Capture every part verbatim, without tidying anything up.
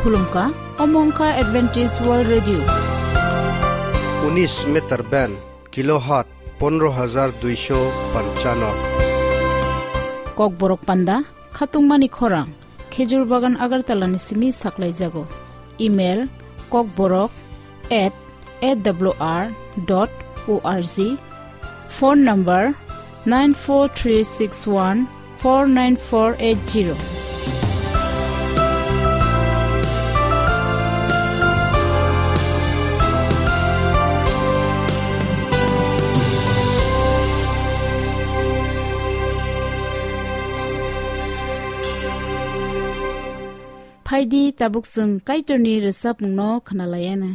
Khulumkha, omo wngkha Adventist World Radio. Unis meter band, kilohertz pondro hajar duisho panchano. Kokborok panda, khatungmani khorang, Khejur Bagan Agartala ni simi saklaijago. Email, kokborok at A W R dot O R G. Phone number nine four three six one four nine four eight zero. Phaidi tabuk chwng Kaitorni rwchapmungno khwnalaiana.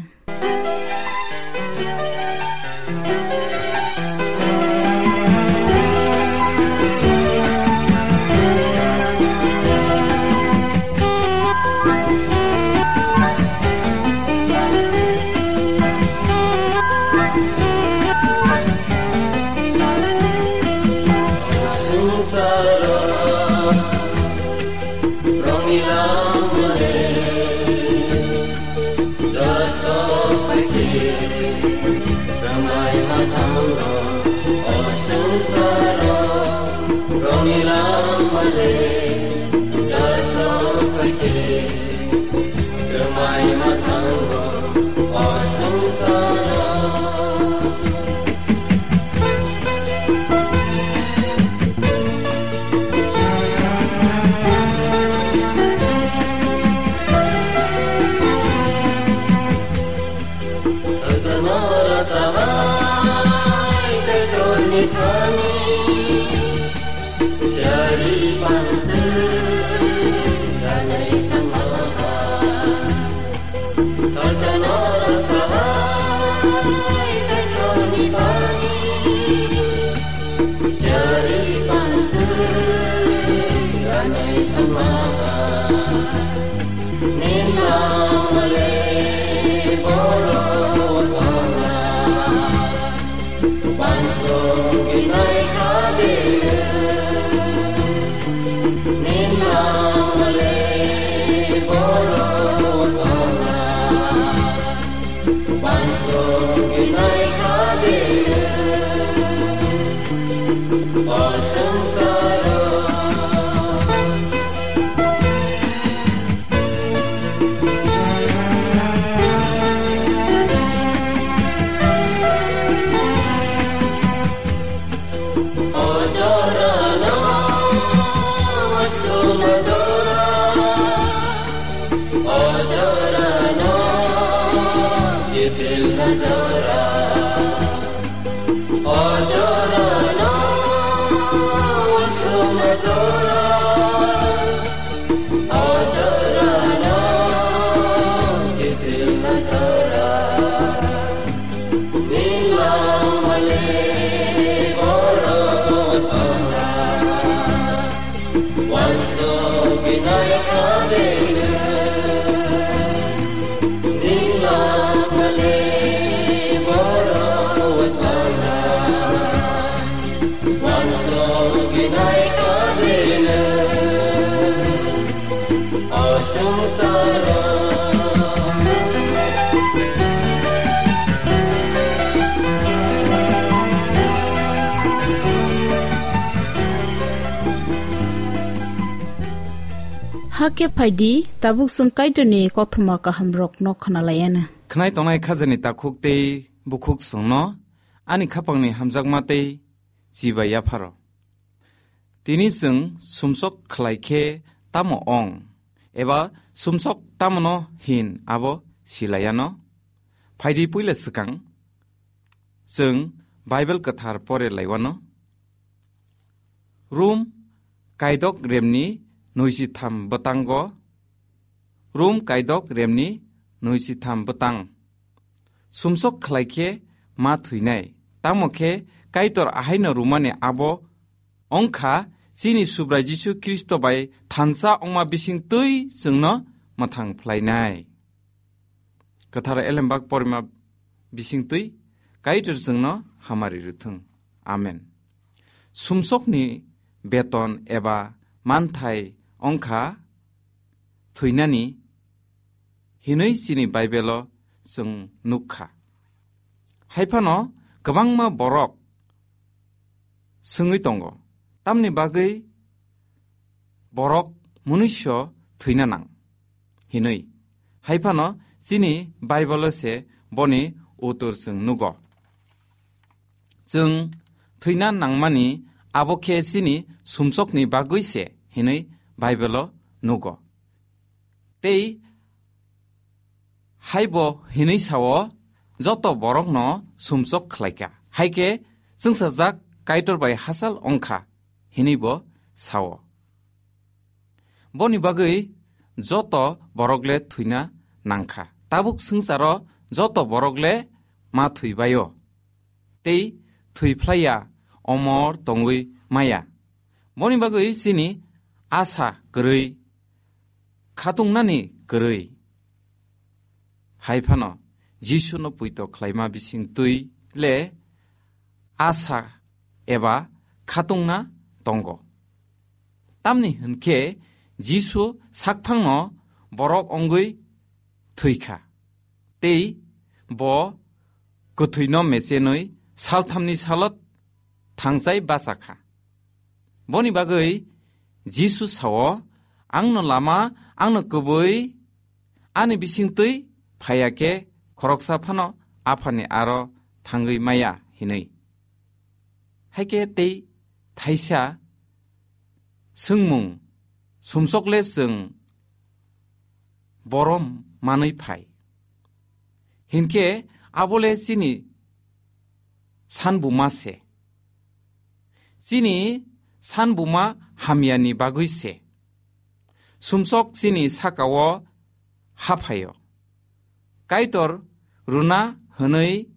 Rongni langmale, jora sok paikhe, rwngmai ma thango, o swngcharo. Rongni langmale, jora sok paikhe, rwngmai ma thango, o swngcharo. Hakhe phaidi, tabuk chwng Kaitorni kothoma kahamrokno khwnalaiana. Khwnai tongnai khajani takhuk tei bukhuk chwngno ani khapangni hamjakma tei chibai yapharo. Tini chwng sumsok khlai khe tamo ong, eba sumsok tamono hin abo silaiano? Phaidi puila swkang chwng Bible kwthar pore laiwano. Rum kaidok remni nui si tham bwtango, Rum kaidok remni nui si tham bwtang. Sumsok khlai khe ma thwinai. Tamo khe Kaitor ahaino rumani abo wngkha chini Subrai Jisu Khristo bai thansa wngma bising twi chwngno mwthang phlainai. Kwthar Elembak porima bising twi Kaitor chwngno hamari rwthwng. Amen. Sumsokni beton eba manthai wngkha thwinani hinwi chini Baibelo chwng nuk kha. Hai phano kwbangma borok swngwi tongo, tamni bagwi borok munuiso thwina nang hinwi. Hai phano chini Baibolo se boni utur chwng nugo. Chwng thwina nangmani abo khe chini sumsokni bagwi se hinwi Baibolo nugo. Tei haibo hinwi sao, joto borokno sumsok khlaikha. Hai khe chwngsajak Kaitor bai hachal wngkha hinwi bo sao. Boni bagwi joto borok le thwina nangkha. Tabuk swngcharo joto borok le ma thwibaio. Tei thwiphlaiya, omor tongwi maya. Boni bagwi chini asa kwrwi, khatungnani kwrwi. Hai phano Jisuno puito khlaima bising twi le asa eba khatungna tongo. Tamni hwn khe Jisu sakphangno borok wngwi thwikha. Tei bo kwthwino mechenwi salthamni salot thangchai bachakha. Boni bagwi Jisu sao, "Angno lama, angno kwbwi, ani bisingtwi phaiya khe khoroksa phano Aphani aro thangwi maya," hinwi. Hai khe tei thaisa swngmung, sumsokle chwng borom manwi phai. Hinkhe abole chini sanbuma se. Chini sanbuma hamyani bagwi se. Sumsok chini sakao haphaio. Kaitor runa hwnwi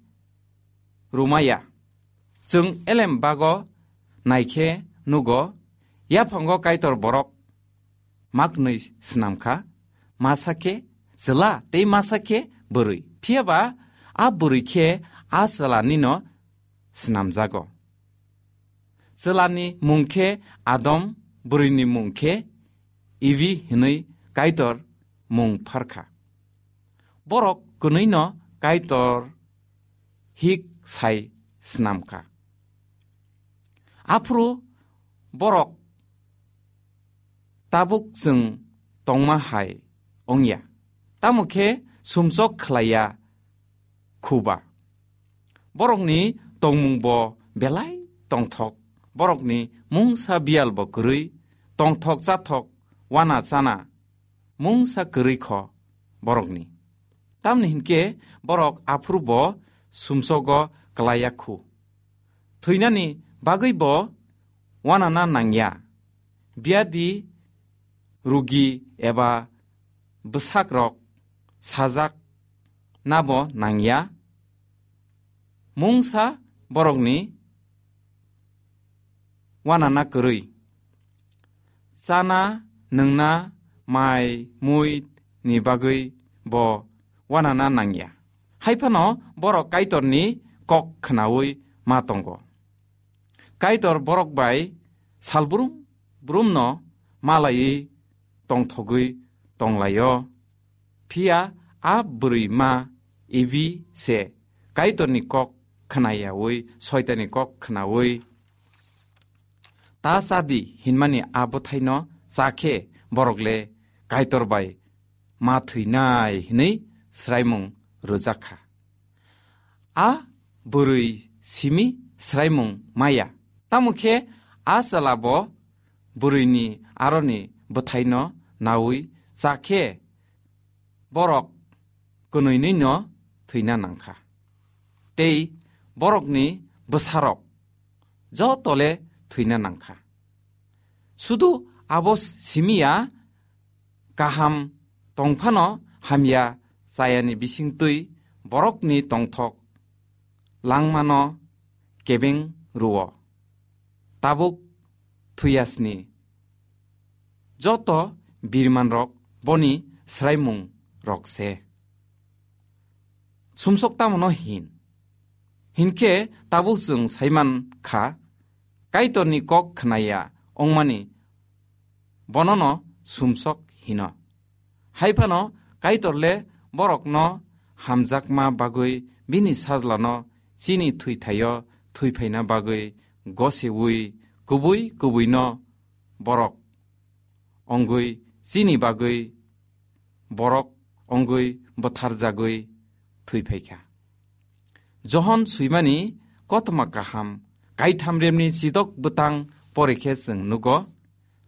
rumaya. Chwng elem bago naikhe nugo, yaphango Kaitor borok maknwi snamkha, masa khe chwla tei masa khe bwrwi. Phiya ba a bwrwi khe a chwlanino snamjago. Chwlani mung khe Adam, bwrwini mung khe Evi hwnwi Kaitor mung pharkha. Borok kwnwino Kaitor hik sai snamkha. Aphuru borok tabuk chwng tongma hai wngya, tamo khe sumsok khlaiya khuba. Borokni tongmung bo belai tongthok, borokni mungsa biyal bo kwrwi, tongthok chathok, wana chana mungsa kwrwi kho borokni. Tamni hinkhe borok aphuru bo sumsogo klaiya khu. Thwinani bagwi bo wanana nangya. Biyadi, rugi eba bwsakrok sajak nabo nangya. Mungsa borokni wanana kwrwi. Chana, nwngna, mai, mui ni bagwi bo wanana nangya. Hai phano borok Kaitorni kok khnaui ma tongo. Kaitor borok bai salbrum brumno malaiwi tongthogwi tonglaio. Phiya a bwrwi ma Evi se Kaitorni kok khnayaui, Soitanni kok khnaui, "Ta cha di," hinmani a bwthaino cha khe borok le Kaitor bai ma thwinai hwnwi swraimung rwjak kha. A bwrwi simi swraimung maya. Tamo khe a chwla bo bwrwini aroni bwthaino naui cha khe borok kwnwinwino thwina nangkha. Tei borokni bwsarok jotole thwina nangkha. Sudu abo simiya, kaham tongphano hamya chayani bisingtwi borokni tongthok langmano kebeng rwo. Tabuk thwiyasni joto birmanrok boni swraimung rok se. Sumsok tamono hin? Hinkhe tabuk chwng saiman kha, Kaitorni kok khnaya wngmani bonono sumsok hino. Hai phano Kaitor le borokno hamjakma bagwi bini sajlano chini thwithaio thwiphaina bagwi goseui kubui kubuino borok ongwi chini bagwi borok ongwi bwtharjagwi thwiphaikha. Johon swimani kothoma kaham kaitham remni chidok bwtang porikhe chwng nugo.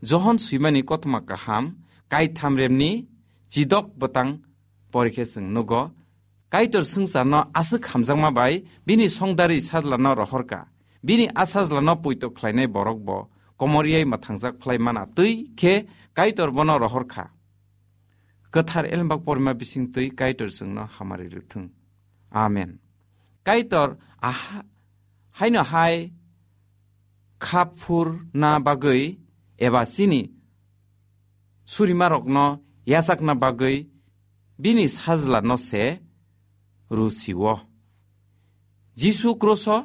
Johon swimani kothoma kaham kaitham remni chidok bwtang porikhe chwng nugo. Kaitor swngcharno aswk hamjakma bai bini songdari sajlano rohorka. Bini a sajlano poito khlainai borok bo komoriai mwthangjak phlai mana twi khe Kaitor bono rohorkha. Kwthar elembak porima bising twi Kaitor chwngno hamari rwthwng. Amen. Kaitor aha-, haino hai khaphurna bagwi eba chini surimarokno yachakna bagwi bini sajlano se rw sio. Jisu kroso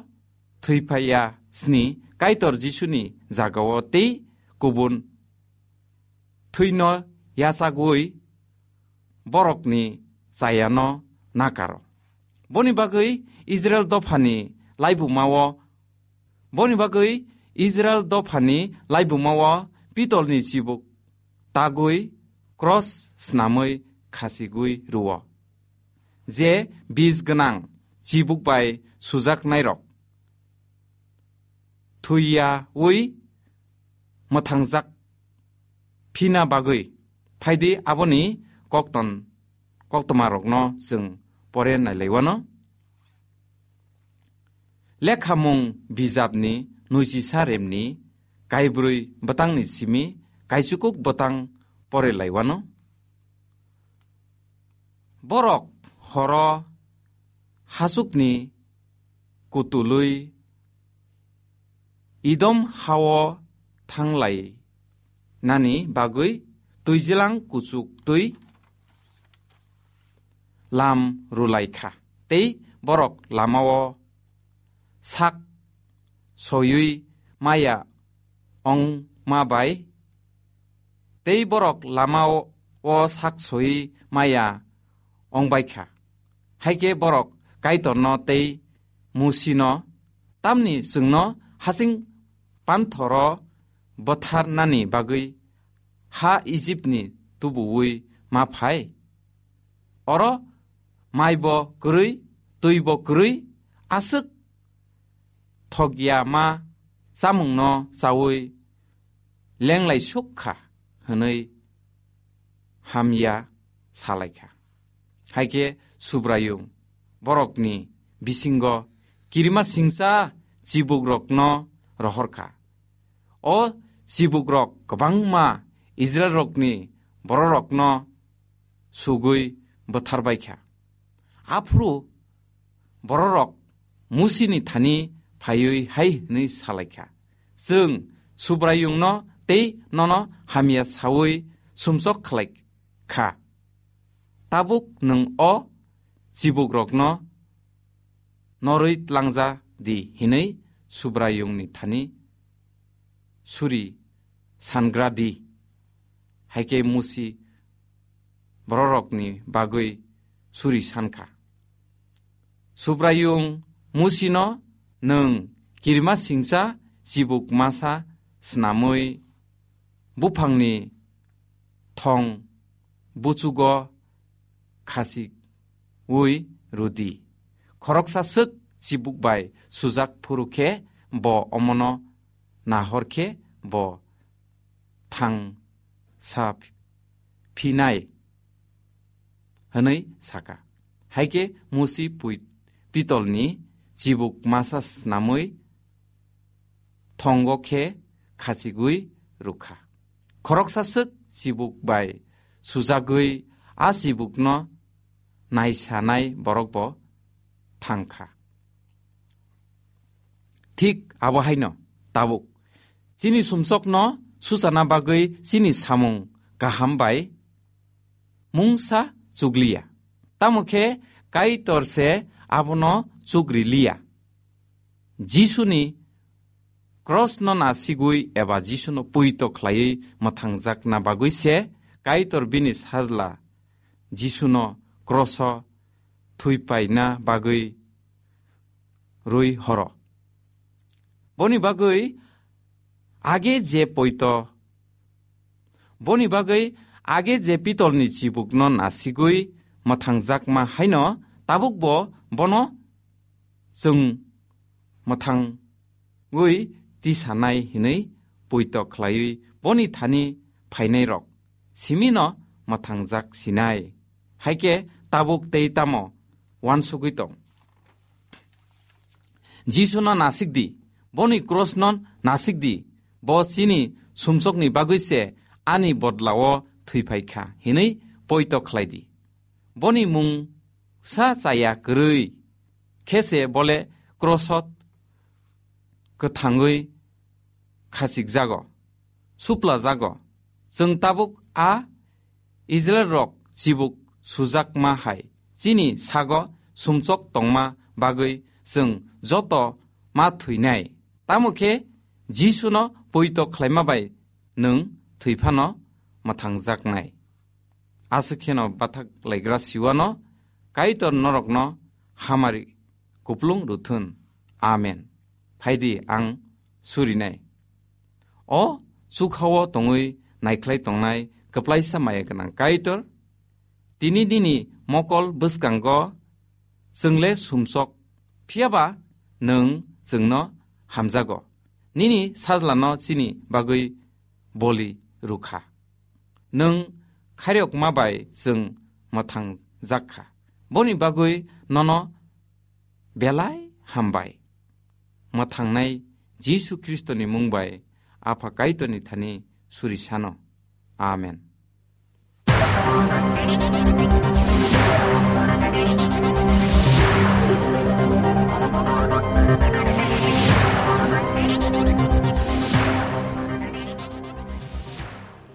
thwiphaiya sni Kaitor Jisuni jagao tei kubun thwino yachagwi borokni chayano nakaro. Boni bagwi Israel dophani laibumao, boni bagwi Israel dophani laibumao pitolni chibuk tagwi kros snamwi khasigwi rwo. Je bij gwnang chibuk bai sujaknairok thwiyaui mwthangjak phina bagwi phaidi aboni kokton, koktwmarokno chwng pore nailaiwano. Lekhamung bijapni nuisisa remni kaibrwi bwtangni simi kaichukuk bwtang pore laiwano. Borok horo hachukni kutului Idom hao thanglai nani bagwi twijilang kuchuk twi lam rwlaikha, tei borok lamao sak soyui maya ongma bai, tei borok lamao sak soyui maya ongbaikha. Haikhe borok Kaitorno tei Musino, "Tamni chwngno hasing panthoro bwtharnani bagwi ha Ijipni tubuwi ma phai? Oro maibo kwrwi, twibo kwrwi, aswk thokya ma chamungno chaui lenglai suk kha," hwnwi hamya salaikha. Haikhe Subraiyung borokni bisingo kirima singcha chibukrokno rohorkha. O chibukrok kwbangma Israilrokni bororokno sugwi bwtharbaikha. Aphuru bororok Musini thani phaiwi hai hwnwi salaikha, "Chwng Subraiyungno tei nono hamya saui sumsok khlai kha. Tabuk nwng o chibukrokno norwi tlangja di," hwnwi Subraiyungni thani suri sangra di. Haikhe Musi bororokni bagwi suri sankha. Subraiyung Musino, "Nwng kirima singcha chibuk masa snamwi buphangni thong buchugo khasiui rwdi. Khoroksa swk chibuk bai sujak phuru khe bo omono nahor khe bo thang sa phinai," hwnwi saka. Haikhe Musi pui pitolni chibuk masa snamwi thongo khe khachigwi rwkha. Khoroksa swk chibuk bai sujagwi a chibukno naisanai borok bo thangkha. Thik abo haino tabuk chini sumsokno suchana bagwi chini samung kaham bai mungsa chukliya. Tamo khe Kaitor se abono chukri liya. Jisuni krosno nasigwi eba Jisuno puito khlaiwi mwthangjakna bagwi se Kaitor bini sajla Jisuno kroso thwipaina bagwi rwi horo. Boni bagwi age je poito, boni bagwi age je pitolni chibukno nasigwi mwthangjakma haino tabukbo bono chwng mwthangwi tisanai hinwi poito khlaiwi boni thani phainairok simino mwthangjak sinai. Haikhe tabuk tei tamo uansugwi tong? Jisuno nasik di, boni krosno nasik di, bo chini sumsokni bagwi se ani bodlao thwiphai kha hinwi poito khlai di. Boni mung sa chaya kwrwi khe se bole krosot kwthangwi khachikjago, suplajago. Chwng tabuk a Israilrok chibuk sujakma hai chini sago sumsok tongma bagwi chwng joto ma thwinai. Tamo khe Jisuno poito khlaima bai nwng thwi phano mwthangjaknai. Aswk kheno bathak laigra siwano Kaitor norokno hamari kuplung rwthun. Amen. Phaidi ang surinai. O chukhao tongwi naikhlai tongnai kwplaisa maya gwnang Kaitor, tini nini mokol bwskango chwngle sumsok, phiyaba nwng chwngno hamjago. Nini sajlano chini bagwi boli rwkha. Nwng khairokma bai chwng mwthangjak kha. Boni bagwi nono belai hambai. Mwthangnai Jisu Khristoni mung bai Apha Kaitorni thani suri sano. Amen.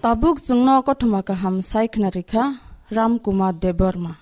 Tabuk chwngno kothoma kaham sai khna rikha Ram Kumar Debbarma.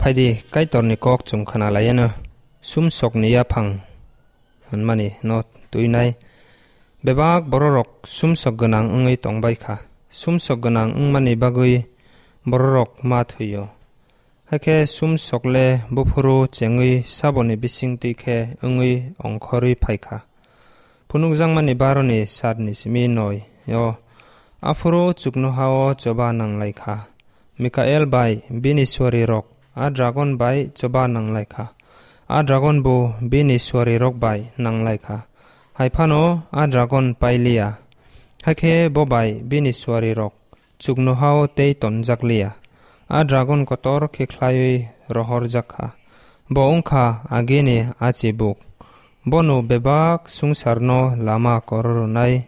Phaidi, Kaitorni kok chwng khna laiano, sumsokni yaphang hwnmani no twinai. Bebak bororok sumsok gwnang wngwi tongbai kha. Sumsok gwnang wngmani bagwi bororok ma thwio. Hakhe sumsok le buphuru chengwi saboni bising twi khe wngwi ongkhorwi phai kha. Phunukjakmani baroni satni simi noi o, aphuru chuknoha-o choba nanglai kha. Mikael bai bini suarirok a dragon bai choba nanglai kha. A dragon bo bini suarirok bai nanglai kha. Hai phano a dragon pailiya. Hakhe bo bai bini suarirok chuknoha-o tei tonjakliya. A dragon kotor khe khlaiwi rohorjak kha. Bo wng kha agini achibuk. Bono bebak swngcharno lama kororonai.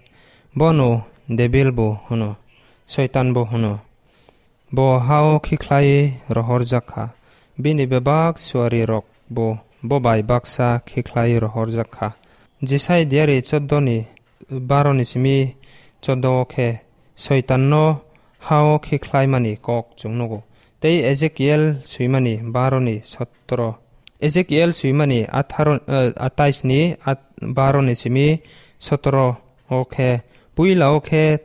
Bono Debil bo hwno, Soitan bo hwno. Bo ha-o khe khlaiwi rohorjak kha. Bini bebak suarirok bo, bo bai baksa khe khlaiwi rohorjak kha. Jisai diari choddo ni baro ni simi choddo o khe Soitanno ha-o khe khlaimani kok chwng nugo. Tei Ezekiel swimani baro ni sotro. Ezekiel swimani atharo, eh, atais ni at-, baro ni simi sotro o khe, puila o khe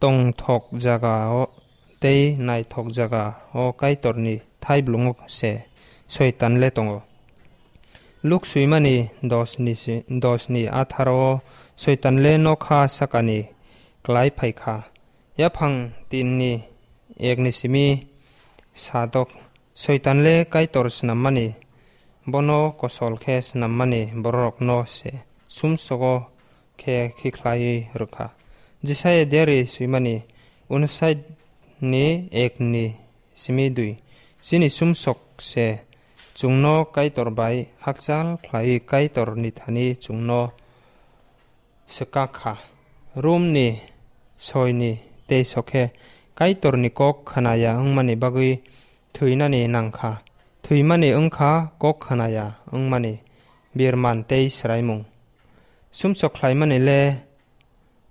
tongthok jaga o tei naithok jaga o Kaitorni thaiblungo se Soitan le tongo. Luk swimani dos ni si-, dos ni atharo o Soitan le nokha sakani klai phai kha. Yaphang tin ni ek ni simi sadok Soitan le Kaitor snammani, bono kosol khe snammani bororokno se sumsogo khe khikhlaiwi rwkha. Jisaya diari swimani unsait ni ek ni simi dui. Chini sumsok se chwngno Kaitor bai hakchal khlaiwi Kaitor ni thani chwngno swkak kha. Rom ni soi ni teis o khe Kaitor ni kok khna ya wngmani bagwi thwinani nang kha. Thwimani wng kha kok khna ya wngmani birman tei swraimung. Sumsok khlaimani le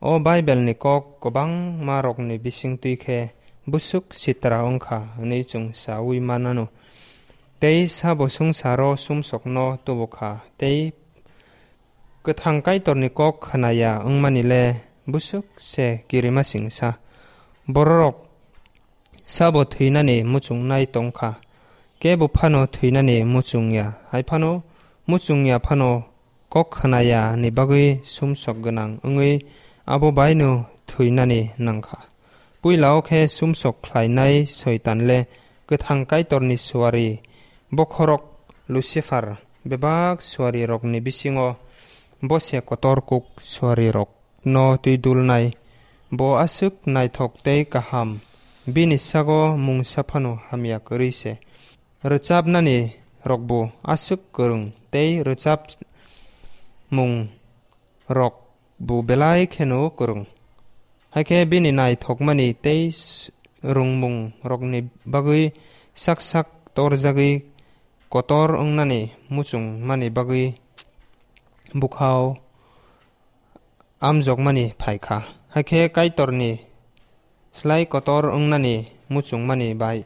o Bible ni kok kwbangma rokni bising twi khe busuk sitra wng kha hwnwi chwng saui manano. Tei sabo swngcharo sumsokno tubu kha tei kwthang Kaitorni kok khna ya wngmani le busuk se kirima singsa. Bororok sabo thwinani muchungnai tong kha, kebo phano thwinani muchung ya, hai phano muchung ya phano kok khna ya ni bagwi sumsok gwnang wngwi abo baino thwinani nang kha. Puila o khe sumsok khlainai Soitan le kwthang Kaitorni suari bokhorok Lucifer, bebak suari rokni bisingo bo se kotor kuk suari rok no twi dulnai. Bo aswk naithok tei kaham, bini sago mungsa phano hamya kwrwi se. Rwchapnani rokbo aswk kwrwng tei rwchap mung rokbo belai kheno kwrwng. Hakhe bini naithokmani tei s-, rwngmung rokni bagwi sak sak torjagwi kotor wngnani muchungmani bagwi bukhao amjokmani phai kha. Hakhe Kaitorni slai kotor wngnani muchungmani bai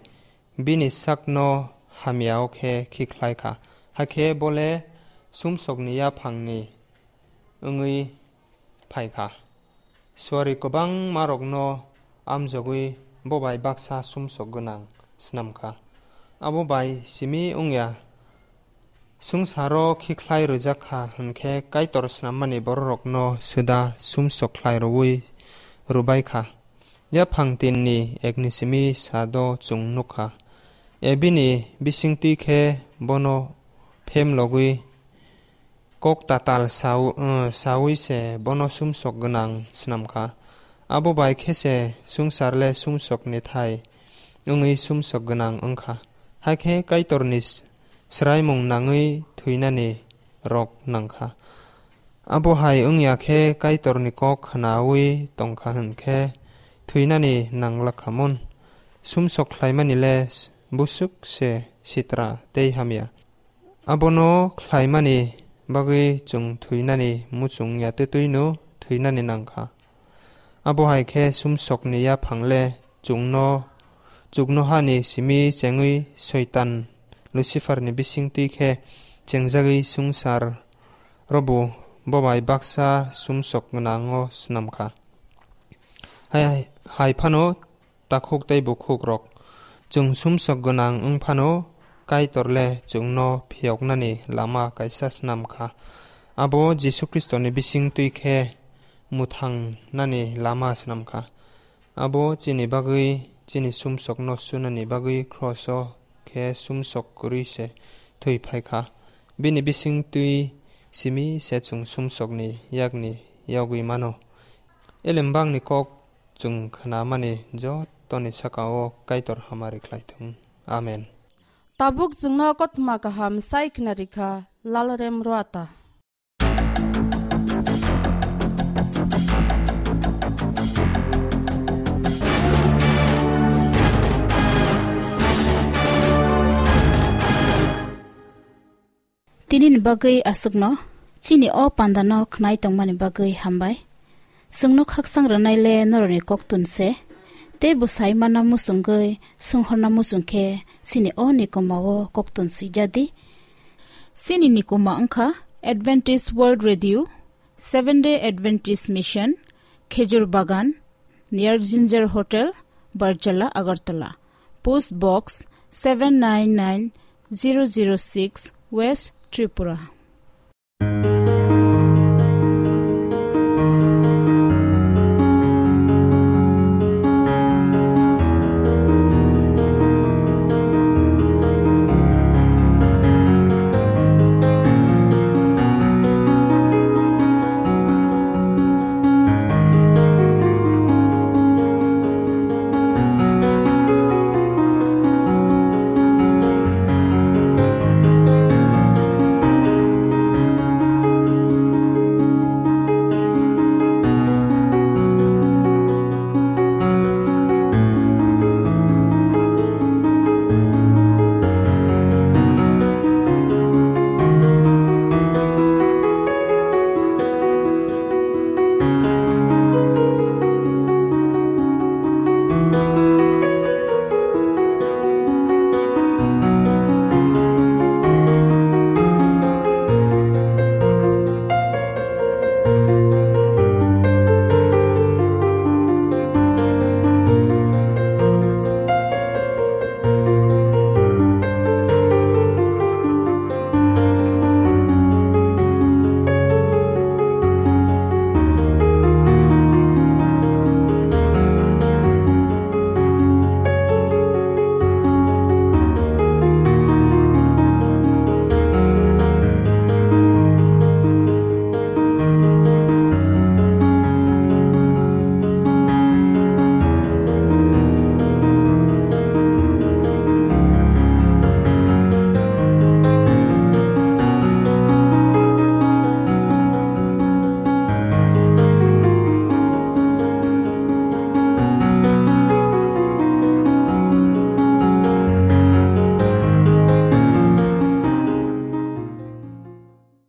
bini sakno hamya o khe khikhlai kha. Hakhe bo le sumsokni yaphangni wngwi phai kha. Suari kwbangmarokno amjogwi bo bai baksa sumsok gwnang snam kha. Abo bai simi wngya, swngcharo khikhlai rwjak kha hwn khe Kaitor snammani bororokno suda sumsok khlai rwui rwbai kha. Yaphang tinni ekni simi sado chwng nuk kha. Ebini bisingtwi khe bono phemlogwi kok tatal sau-, eh, saui se bono sumsok gwnang snam kha. Abo bai khe se swngchar le sumsokni thai wngwi sumsok gwnang wng kha. Hakhe Kaitorni s-, swraimung nangwi thwinani rok nang kha. Abo hai wng ya khe Kaitorni kok khnaui tong kha hwn khe thwinani nang lak kha mun. Sumsok khlaimani le s-, busuk se sitra tei hamya. Abono khlaimani bagwi chwng thwinani muchung ya twtwino thwinani nang kha. Abo hai khe sumsokni yaphang le chwngno chuknohani simi chengwi Soitan Lucifer ni bising twi khe chengjagwi swngchar robo bobai baksa sumsok gwnango snam kha. Hai, hai phano takhuk tei bukhuk rok, chwng sumsok gwnang wng phano Kaitor le chwngno phiyoknani lama kaisa snam kha. Abo Jisu Khristoni bising twi khe mwthangnani lama snam kha. Abo chini bagwi, chini sumsokno sunani bagwi kroso khe sumsok kwrwi se thwi phai kha. Bini bising twi simi se chwng sumsokni yakni yogwi mano. Elembakni kok chwng khnamani jotoni saka-o Kaitor hamari khlai thung. Amen. Tabuk chwngno kothoma kaham sai khnarikha Lalrem Roata. Tinini bagwi aswkno, chini o pandano khnai tongmani bagwi hambai. Chwngno khaksang rwnai le norokni koktun se, tei bwsai manna muchungwi, swnghorna muchung khe chini o nikoma o koktun swijadi. Chini nikoma wngkha Adventist World Radio, Seventh Day Adventist Mission, Khejur Bagan, near Ginger Hotel, Barjala, Agartala. Post Box seven nine nine zero zero six, West Tripura.